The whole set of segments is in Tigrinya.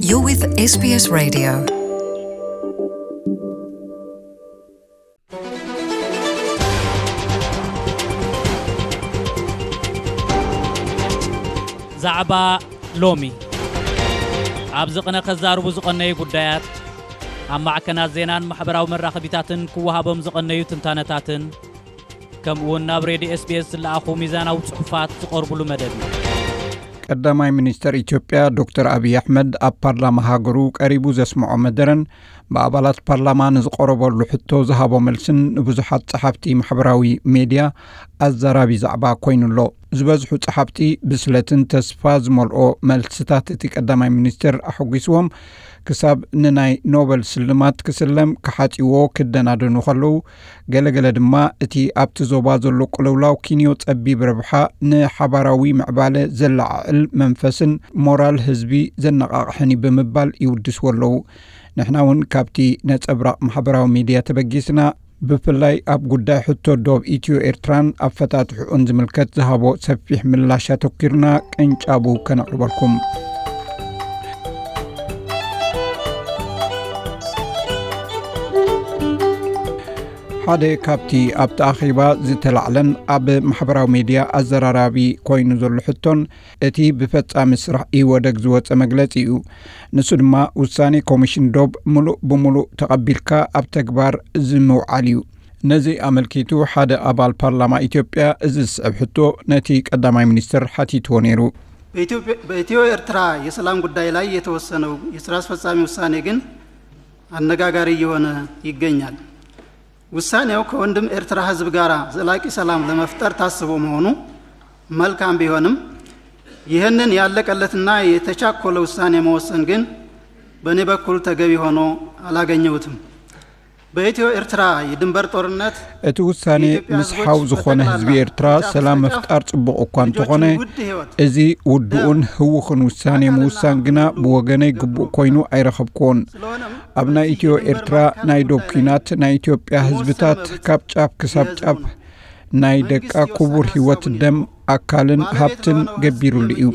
You're with S B S Radio. ዛዕባ ሎሚ። ኣብዚ ቅነ ከዛርቡ ዝቐነዩ ጉዳያት፣ ኣብ ማዕከናት ዜናን ማሕበራዊ መራኸቢታትን ክወሃቦም ዝቐነዩ ትንታነታትን፣ ከምኡውን ናብ ሬድዮ S B S ዝለኣኹ ሚዛናዊ ጽሑፋት ዝቐርቡሉ መደብ እዩ። ቀዳማይ ሚኒስተር ኢትዮጵያ ዶክተር ኣብይ ኣሕመድ ኣብ ፓርላማ ሃገሩ ቀሪቡ ዘስምዖ መደረን ብኣባላት ፓርላማ ንዝቐረበሉ ሕቶ ዝሃቦ መልስን ንብዙሓት ጸሓፍቲ ማሕበራዊ ሜድያ ኣዛራቢ ዛዕባ ኮይኑ ኣሎ። ዝበዝሑ ጸሓፍቲ ብስለትን ተስፋ ዝመልኦ መልስታት እቲ ቀዳማይ ሚኒስተር ኣሐጒስዎም፣ ክሳብ ንናይ ኖበል ስልማት ክስለም ክሓጽይዎ ክደናደኑ ከለዉ፣ ገለገለ ድማ እቲ ኣብቲ ዞባ ዘሎ ቅልውላው ኪንዮ ጸቢብ ረብሓ ንሓባራዊ ምዕባለ ዘለዓዕል መንፈስን ሞራል ህዝቢ ዘነቓቕሕን እዩ ብምባል ይውድስዎ ኣለዉ። ንሕና እውን ካብቲ ነጸብራቕ ማሕበራዊ ሚድያ ተበጊስና፣ ብፍላይ ኣብ ጉዳይ ሕቶ ዶብ ኢትዮ ኤርትራን ኣፈታትሕኡን ዝምልከት ዝሃቦ ሰፊሕ ምላሽ ኣተኲርና ቅንጫቡ ከነቕርበልኩም። ሓደ ካብቲ ኣብቲ ኣኼባ ዝተላዕለን ኣብ ማሕበራዊ ሜድያ ኣዘራራቢ ኮይኑ ዘሎ ሕቶን እቲ ብፈጻሚ ስራሕ ኢህወደግ ዝወጸ መግለጺ እዩ። ንሱ ድማ ውሳኔ ኮሚሽን ዶብ ምሉእ ብምሉእ ተቐቢልካ ኣብ ተግባር ዝምውዓል እዩ። ነዚ ኣመልኪቱ ሓደ ኣባል ፓርላማ ኢትዮጵያ እዚ ዝስዕብ ሕቶ ነቲ ቀዳማይ ሚኒስትር ሓቲትዎ ነይሩ። በኢትዮጵያ- በኢትዮ ኤርትራ የሰላም ጉዳይ ላይ የተወሰነው የስራ አስፈጻሚ ውሳኔ ግን አነጋጋሪ እየሆነ ይገኛል። ውሳኔው ከወንድም ኤርትራ ህዝብ ጋር ዘላቂ ሰላም ለመፍጠር ታስቦ መሆኑ መልካም ቢሆንም፣ ይህንን ያለቀለትና የተቻኮለ ውሳኔ መወሰን ግን በእኔ በኩል ተገቢ ሆኖ አላገኘሁትም። በኢትዮ ኤርትራ የድንበር ጦርነት እቲ ውሳኔ የኢትዮጵያ ምስ ህዝቦች ሓው ዝኾነ በጠቅላላ ህዝቢ ኤርትራ ጫፍ ሰላም እስከ ጫፍ መፍጣር ጽቡቕ እኳ እንተኾነ፣ ልጆችን ውድ ህይወት እዚ ውዱእን ህውኽን ውሳኔ ምውሳን ግና ብወገነይ ግቡእ ኮይኑ ኣይረኸብክዎን። ስለሆነም ኣብ ናይ ኢትዮ ኤርትራ ናይ ዶብ ኲናት ናይ ኢትዮጵያ ህዝብታት ካብ ጫፍ ክሳብ ጫፍ ናይ ደቃ ክቡር ህይወት፣ ደም፣ ኣካልን ሃብትን ገቢሩሉ እዩ።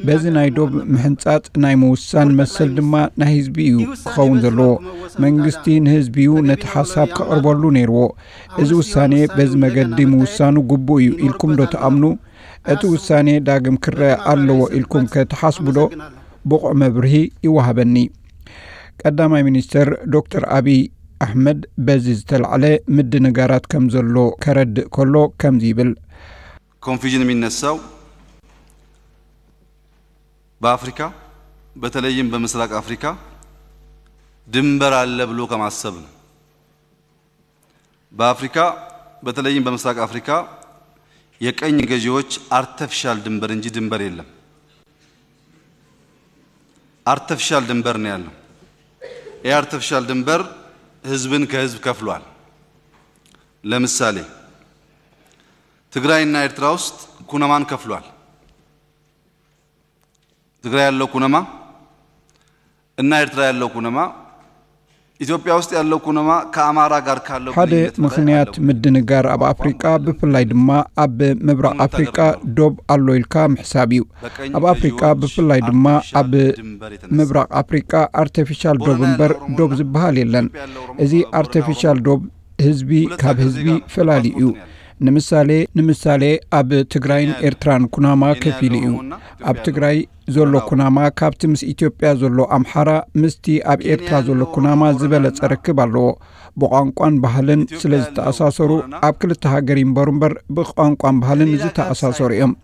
በዚ ናይ ዶብ ምሕንጻጽ ናይ ምውሳን መሰል ድማ ናይ ህዝቢ እዩ ክኸውን ዘለዎ። መንግስቲ ንህዝቢ እዩ ነቲ ሓሳብ ከቕርበሉ ነይርዎ። እዚ ውሳኔ በዚ መገዲ ምውሳኑ ግቡእ እዩ ኢልኩም ዶ ትኣምኑ? እቲ ውሳኔ ዳግም ክረአ ኣለዎ ኢልኩም ከ ትሓስቡ ዶ? ብቑዕ መብርሂ ይወሃበኒ። ቀዳማይ ሚኒስተር ዶክተር ኣብይ ኣሕመድ በዚ ዝተላዕለ ምድንጋራት ከም ዘሎ ከረድእ ከሎ ከምዚ ይብል። ኮንፊዥን የሚነሳው በአፍሪካ በተለይም በምስራቅ አፍሪካ ድንበር አለ ብሎ ከማሰብ ነው። በአፍሪካ በተለይም በምስራቅ አፍሪካ የቀኝ ገዢዎች አርተፊሻል ድንበር እንጂ ድንበር የለም። አርተፊሻል ድንበር ነው ያለው። ይህ አርተፊሻል ድንበር ህዝብን ከህዝብ ከፍሏል። ለምሳሌ ትግራይና ኤርትራ ውስጥ ኩነማን ከፍሏል። ትግራይ ያለው ኩነማ እና ኤርትራ ያለው ኩነማ፣ ኢትዮጵያ ውስጥ ያለው ኩነማ ከአማራ ጋር ካለው ሓደ ግንኙነት በላይ ምኽንያት አለው። ምድንጋር ኣብ ኣፍሪቃ፣ ብፍላይ ድማ ኣብ ምብራቕ ኣፍሪቃ ዶብ ኣሎ ኢልካ ምሕሳብ እዩ። ኣብ ኣፍሪቃ፣ ብፍላይ ድማ ኣብ ምብራቕ ኣፍሪቃ፣ ኣርተፊሻል ዶብ እምበር ዶብ ዝበሃል የለን። እዚ ኣርተፊሻል ዶብ ህዝቢ ካብ ህዝቢ ፈላሊ እዩ። ንምሳሌ፣ ንምሳሌ ኣብ ትግራይን ኤርትራን ኩናማ ከፊሉ እዩ። ኣብ ትግራይ ዘሎ ኩናማ ካብቲ ምስ ኢትዮጵያ ዘሎ ኣምሓራ ምስቲ ኣብ ኤርትራ ዘሎ ኩናማ ዝበለጸ ርክብ ኣለዎ። ብቋንቋን ባህልን ስለ ዝተኣሳሰሩ፣ ኣብ ክልተ ሃገር ይንበሩ እምበር ብቋንቋን ባህልን ዝተኣሳሰሩ እዮም።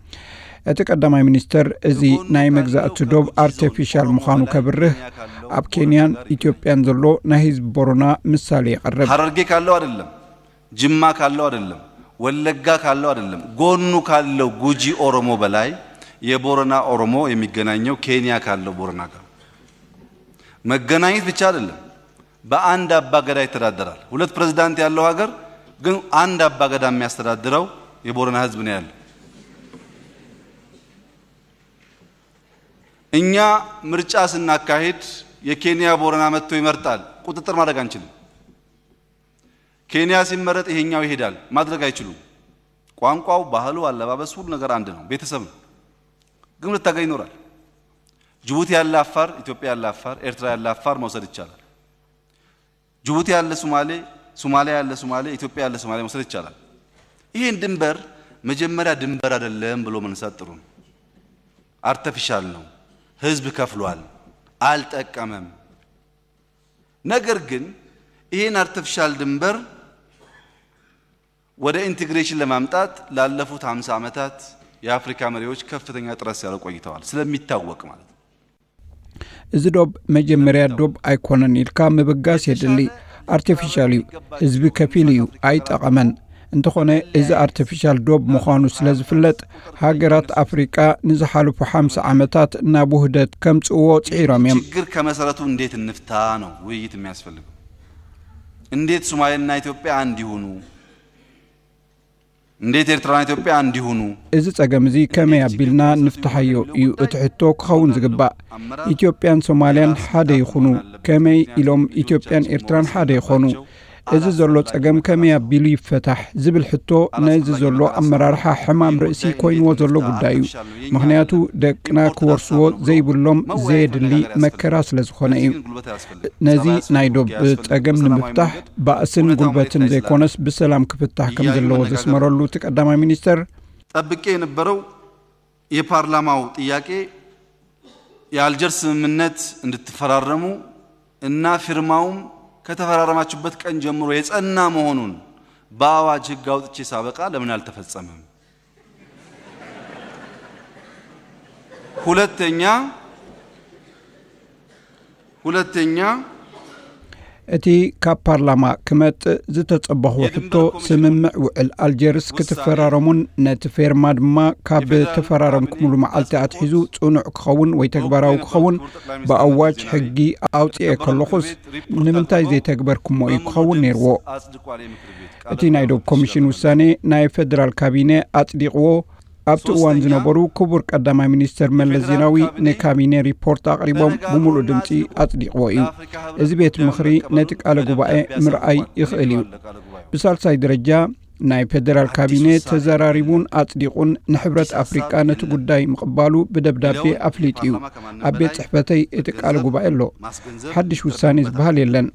እቲ ቀዳማይ ሚኒስተር እዚ ናይ መግዛእቲ ዶብ ኣርተፊሻል ምዃኑ ከብርህ፣ ኣብ ኬንያን ኢትዮጵያን ዘሎ ናይ ህዝቢ ቦረና ምሳሌ የቕርብ። ሀረርጌ ካለው አይደለም፣ ጅማ ካለው አይደለም፣ ወለጋ ካለው አይደለም፣ ጎኑ ካለው ጉጂ ኦሮሞ በላይ የቦረና ኦሮሞ የሚገናኘው ኬንያ ካለው ቦረና ጋር። መገናኘት ብቻ አይደለም፣ በአንድ አባገዳ ይተዳደራል። ሁለት ፕሬዝዳንት ያለው ሀገር ግን አንድ አባገዳ የሚያስተዳድረው የቦረና ህዝብ ነው ያለው። እኛ ምርጫ ስናካሄድ የኬንያ ቦረና መጥቶ ይመርጣል፣ ቁጥጥር ማድረግ አንችልም። ኬንያ ሲመረጥ ይሄኛው ይሄዳል፣ ማድረግ አይችሉም። ቋንቋው፣ ባህሉ፣ አለባበስ፣ ሁሉ ነገር አንድ ነው፣ ቤተሰብ ነው። ግን መታገል ይኖራል። ጅቡቲ ያለ አፋር፣ ኢትዮጵያ ያለ አፋር፣ ኤርትራ ያለ አፋር መውሰድ ይቻላል። ጅቡቲ ያለ ሶማሌ፣ ሶማሊያ ያለ ሶማሌ፣ ኢትዮጵያ ያለ ሶማሌ መውሰድ ይቻላል። ይህን ድንበር መጀመሪያ ድንበር አይደለም ብሎ መነሳት ጥሩ ነው። አርተፊሻል ነው። ህዝብ ከፍሏል፣ አልጠቀመም። ነገር ግን ይህን አርተፊሻል ድንበር ወደ ኢንቴግሬሽን ለማምጣት ላለፉት ሃምሳ ዓመታት የአፍሪካ መሪዎች ከፍተኛ ጥረት ሲያደርጉ ቆይተዋል፣ ስለሚታወቅ ማለት ነው። እዚ ዶብ መጀመርያ ዶብ ኣይኮነን ኢልካ ምብጋስ የድሊ። ኣርቲፊሻል እዩ። ህዝቢ ከፊል እዩ፣ ኣይጠቐመን። እንተኾነ እዚ ኣርቲፊሻል ዶብ ምዃኑ ስለ ዝፍለጥ፣ ሃገራት ኣፍሪቃ ንዝሓለፉ ሓምሳ ዓመታት ናብ ውህደት ከምጽእዎ ጽዒሮም እዮም። ችግር ከመሰረቱ እንዴት እንፍታ ነው ውይይት የሚያስፈልገው። እንዴት ሶማሌና ኢትዮጵያ አንድ ይሁኑ፣ እንዴት ኤርትራና ኢትዮጵያ አንድ ይሁኑ። እዚ ጸገም እዚ ከመይ ኣቢልና ንፍትሓዮ እዩ እቲ ሕቶ ክኸውን ዝግባእ። ኢትዮጵያን ሶማልያን ሓደ ይኹኑ፣ ከመይ ኢሎም ኢትዮጵያን ኤርትራን ሓደ ይኾኑ? እዚ ዘሎ ጸገም ከመይ ኣቢሉ ይፈታሕ ዝብል ሕቶ ነዚ ዘሎ ኣመራርሓ ሕማም ርእሲ ኮይንዎ ዘሎ ጉዳይ እዩ። ምኽንያቱ ደቅና ክወርስዎ ዘይብሎም ዘየድሊ መከራ ስለ ዝኾነ እዩ። ነዚ ናይ ዶብ ጸገም ንምፍታሕ ባእስን ጉልበትን ዘይኮነስ ብሰላም ክፍታሕ ከም ዘለዎ ዘስመረሉ እቲ ቀዳማይ ሚኒስተር፣ ጠብቄ የነበረው የፓርላማው ጥያቄ የአልጀርስ ስምምነት እንድትፈራረሙ እና ፊርማውም ከተፈራረማችሁበት ቀን ጀምሮ የጸና መሆኑን በአዋጅ ህግ አውጥቼ ሳበቃ ለምን አልተፈጸመም? ሁለተኛ ሁለተኛ እቲ ካብ ፓርላማ ክመጽእ ዝተጸበኽዎ ሕቶ፣ ስምምዕ ውዕል ኣልጀርስ ክትፈራረሙን ነቲ ፌርማ ድማ ካብ ተፈራረምኩምሉ መዓልቲ ኣትሒዙ ጽኑዕ ክኸውን ወይ ተግባራዊ ክኸውን ብኣዋጅ ሕጊ ኣውጺኤ ከለኹስ፣ ንምንታይ ዘይተግበርኩሞ እዩ ክኸውን ነይርዎ። እቲ ናይ ዶብ ኮሚሽን ውሳኔ ናይ ፌደራል ካቢነ ኣጽዲቕዎ ኣብቲ እዋን ዝነበሩ ክቡር ቀዳማይ ሚኒስትር መለስ ዜናዊ ንካቢኔ ሪፖርት ኣቕሪቦም ብምሉእ ድምፂ ኣፅዲቕዎ እዩ። እዚ ቤት ምኽሪ ነቲ ቃለ ጉባኤ ምርኣይ ይኽእል እዩ። ብሳልሳይ ደረጃ ናይ ፌደራል ካቢኔ ተዘራሪቡን ኣፅዲቑን ንሕብረት ኣፍሪቃ ነቲ ጉዳይ ምቕባሉ ብደብዳቤ ኣፍሊጡ እዩ። ኣብ ቤት ፅሕፈተይ እቲ ቃለ ጉባኤ ኣሎ። ሓድሽ ውሳኔ ዝበሃል የለን።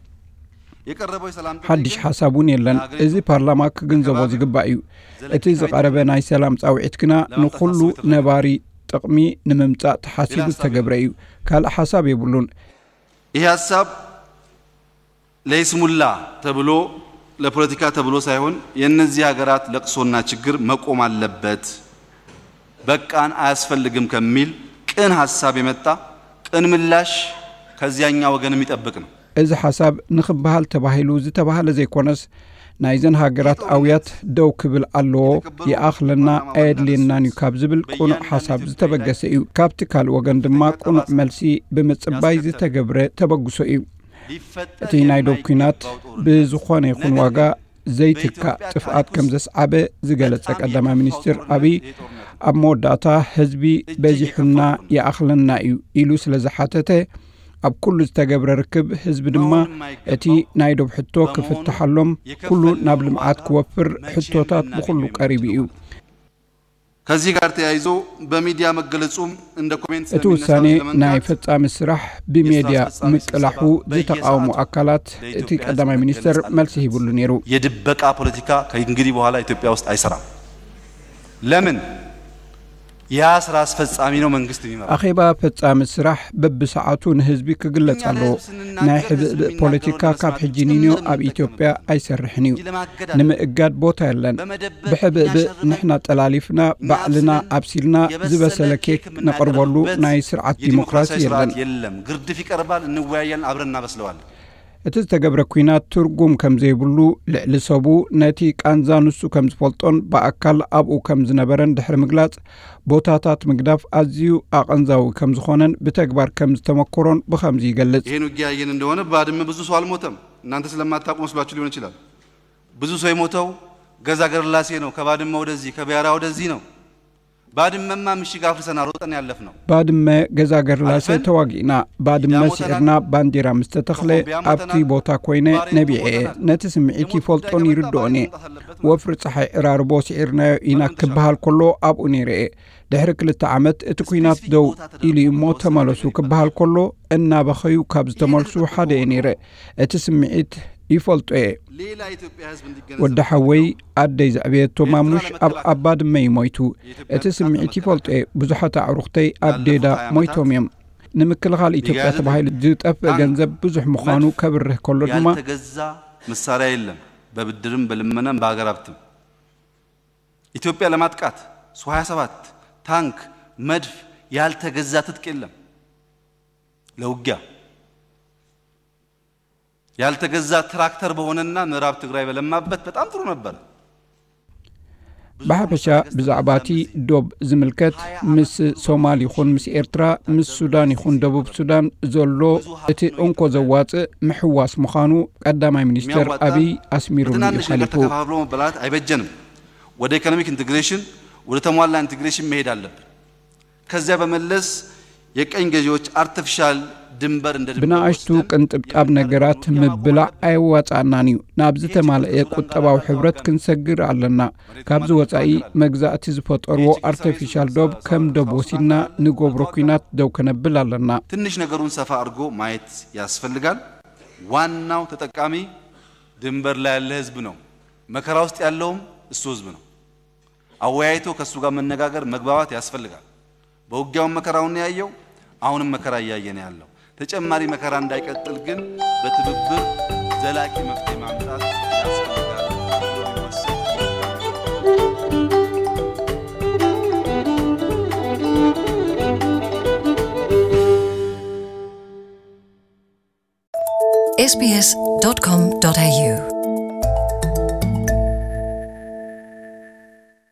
ሓድሽ ሓሳብ እውን የለን። እዚ ፓርላማ ክግንዘቦ ዝግባእ እዩ። እቲ ዝቐረበ ናይ ሰላም ጻውዒት ግና ንኹሉ ነባሪ ጥቕሚ ንምምጻእ ተሓሲቡ ዝተገብረ እዩ። ካልእ ሓሳብ የብሉን። ይህ ሀሳብ ለይስሙላ ተብሎ ለፖለቲካ ተብሎ ሳይሆን የእነዚህ ሀገራት ለቅሶና ችግር መቆም አለበት፣ በቃን፣ አያስፈልግም ከሚል ቅን ሀሳብ የመጣ ቅን ምላሽ ከዚያኛ ወገን የሚጠብቅ ነው። እዚ ሓሳብ ንኽበሃል ተባሂሉ ዝተባህለ ዘይኮነስ፣ ናይዘን ሃገራት ኣውያት ደው ክብል ኣለዎ፣ ይኣኽለና ኣየድልየናን እዩ ካብ ዝብል ቅኑዕ ሓሳብ ዝተበገሰ እዩ። ካብቲ ካልእ ወገን ድማ ቅኑዕ መልሲ ብምጽባይ ዝተገብረ ተበግሶ እዩ። እቲ ናይ ዶብ ኲናት ብዝኾነ ይኹን ዋጋ ዘይትካእ ጥፍኣት ከም ዘስዓበ ዝገለጸ ቀዳማይ ሚኒስትር ኣብይ፣ ኣብ መወዳእታ ህዝቢ በዚሑና ይኣኽለና እዩ ኢሉ ስለ ዝሓተተ፣ ኣብ ኩሉ ዝተገብረ ርክብ ህዝቢ ድማ እቲ ናይ ዶብ ሕቶ ክፍትሓሎም፣ ኩሉ ናብ ልምዓት ክወፍር ሕቶታት ብኹሉ ቀሪቡ እዩ። ከዚህ ጋር ተያይዞ በሚዲያ መገለጹም እንደ ኮሜንት እቲ ውሳኔ ናይ ፈጻሚ ስራሕ ብሜድያ ምቅላሑ ዝተቃወሙ ኣካላት እቲ ቀዳማይ ሚኒስተር መልሲ ሂብሉ ነይሩ። የድበቃ ፖለቲካ ከእንግዲህ በኋላ ኢትዮጵያ ውስጥ አይሰራም። ለምን? ያ ስራ አስፈጻሚ ነው መንግስት የሚመራው። ኣኼባ ፈጻሚ ስራሕ በብሰዓቱ ንህዝቢ ክግለጽ ኣለዎ። ናይ ሕብእብእ ፖለቲካ ካብ ሕጂ ንንዮ ኣብ ኢትዮጵያ ኣይሰርሕን እዩ። ንምእጋድ ቦታ የለን። ብሕብእብእ ንሕና ጠላሊፍና ባዕልና ኣብሲልና ዝበሰለ ኬክ ነቕርበሉ ናይ ስርዓት ዲሞክራሲ የለን። የለም። ግርድፍ ይቀርባል፣ እንወያያለን፣ አብረን እናበስለዋለን። እቲ ዝተገብረ ኲናት ትርጉም ከም ዘይብሉ፣ ልዕሊ ሰቡ ነቲ ቃንዛ ንሱ ከም ዝፈልጦን ብኣካል ኣብኡ ከም ዝነበረን ድሕሪ ምግላጽ፣ ቦታታት ምግዳፍ ኣዝዩ ኣቐንዛዊ ከም ዝኾነን ብተግባር ከም ዝተመኮሮን ብኸምዚ ይገልጽ። ይህን ውጊያ ያየን እንደሆነ ባድመ ብዙ ሰው አልሞተም። እናንተ ስለማታውቁ መስሏችሁ ሊሆን ይችላል። ብዙ ሰው የሞተው ገዛ ገርላሴ ነው። ከባድመ ወደዚህ፣ ከቢያራ ወደዚህ ነው። ባድመማ ምሽግ አፍርሰና ሮጠን ያለፍነው። ባድመ ገዛ ገርላሰ ተዋጊእና፣ ባድመ ስዒርና ባንዲራ ምስ ተተኽለ ኣብቲ ቦታ ኮይነ ነቢዐ እየ። ነቲ ስምዒት ይፈልጦን ይርድኦን እየ። ወፍሪ ጸሓይ ዕራርቦ ስዒርናዮ ኢና ክበሃል ከሎ ኣብኡ ነይረ እየ። ድሕሪ ክልተ ዓመት እቲ ኲናት ደው ኢሉ እሞ ተመለሱ ክበሃል ከሎ፣ እናበኸዩ ካብ ዝተመልሱ ሓደ እየ ነይረ። እቲ ስምዒት ይፈልጦ እየ። ወዲ ሓወይ ኣደይ ዘዕበየቶ ማሙሽ ኣብ ኣባድመ እዩ ሞይቱ። እቲ ስምዒት ይፈልጦ እየ። ብዙሓት ኣዕሩኽተይ ኣብ ዴዳ ሞይቶም እዮም። ንምክልኻል ኢትዮጵያ ተባሂሉ ዝጠፍእ ገንዘብ ብዙሕ ምዃኑ ከብርህ ከሎ ድማ፣ ያልተገዛ መሳሪያ የለም፣ በብድርም በልመናም በሀገር ሀብትም። ኢትዮጵያ ለማጥቃት ሱ ሃያ ሰባት ታንክ፣ መድፍ፣ ያልተገዛ ትጥቅ የለም። ለውጊያ ያልተገዛ ትራክተር በሆነና ምዕራብ ትግራይ በለማበት በጣም ጥሩ ነበር። ብሓፈሻ ብዛዕባ እቲ ዶብ ዝምልከት፣ ምስ ሶማል ይኹን ምስ ኤርትራ፣ ምስ ሱዳን ይኹን ደቡብ ሱዳን ዘሎ እቲ እንኮ ዘዋፅእ ምሕዋስ ምዃኑ ቀዳማይ ሚኒስትር ኣቢይ ኣስሚሩሉ እዩ ሓሊፉ። ተከፋፍሎ መበላት ኣይበጀንም። ወደ ኢኮኖሚክ ኢንቴግሬሽን፣ ወደ ተሟላ ኢንቴግሬሽን መሄድ አለብን። ከዚያ በመለስ የቀኝ ገዢዎች አርቲፊሻል ድንበር እንደ ድንበር ብንኣሽቱ ቅንጥብጣብ ነገራት ምብላዕ ኣየዋፃእናን እዩ። ናብ ዝተማልአ ቁጠባዊ ሕብረት ክንሰግር ኣለና። ካብዚ ወፃኢ መግዛእቲ ዝፈጠርዎ ኣርቲፊሻል ዶብ ከም ዶብ ወሲድና ንገብሮ ኲናት ደው ከነብል ኣለና። ትንሽ ነገሩን ሰፋ አድርጎ ማየት ያስፈልጋል። ዋናው ተጠቃሚ ድንበር ላይ ያለ ህዝብ ነው። መከራ ውስጥ ያለውም እሱ ህዝብ ነው። አወያይቶ ከሱ ጋር መነጋገር መግባባት ያስፈልጋል። በውጊያውም መከራውን ያየው፣ አሁንም መከራ እያየ ነው ያለው። ተጨማሪ መከራ እንዳይቀጥል ግን በትብብር ዘላቂ መፍትሄ ማምጣት ያስፈልጋል። ኤስቢኤስ ዶት ኮም ዶት ኤዩ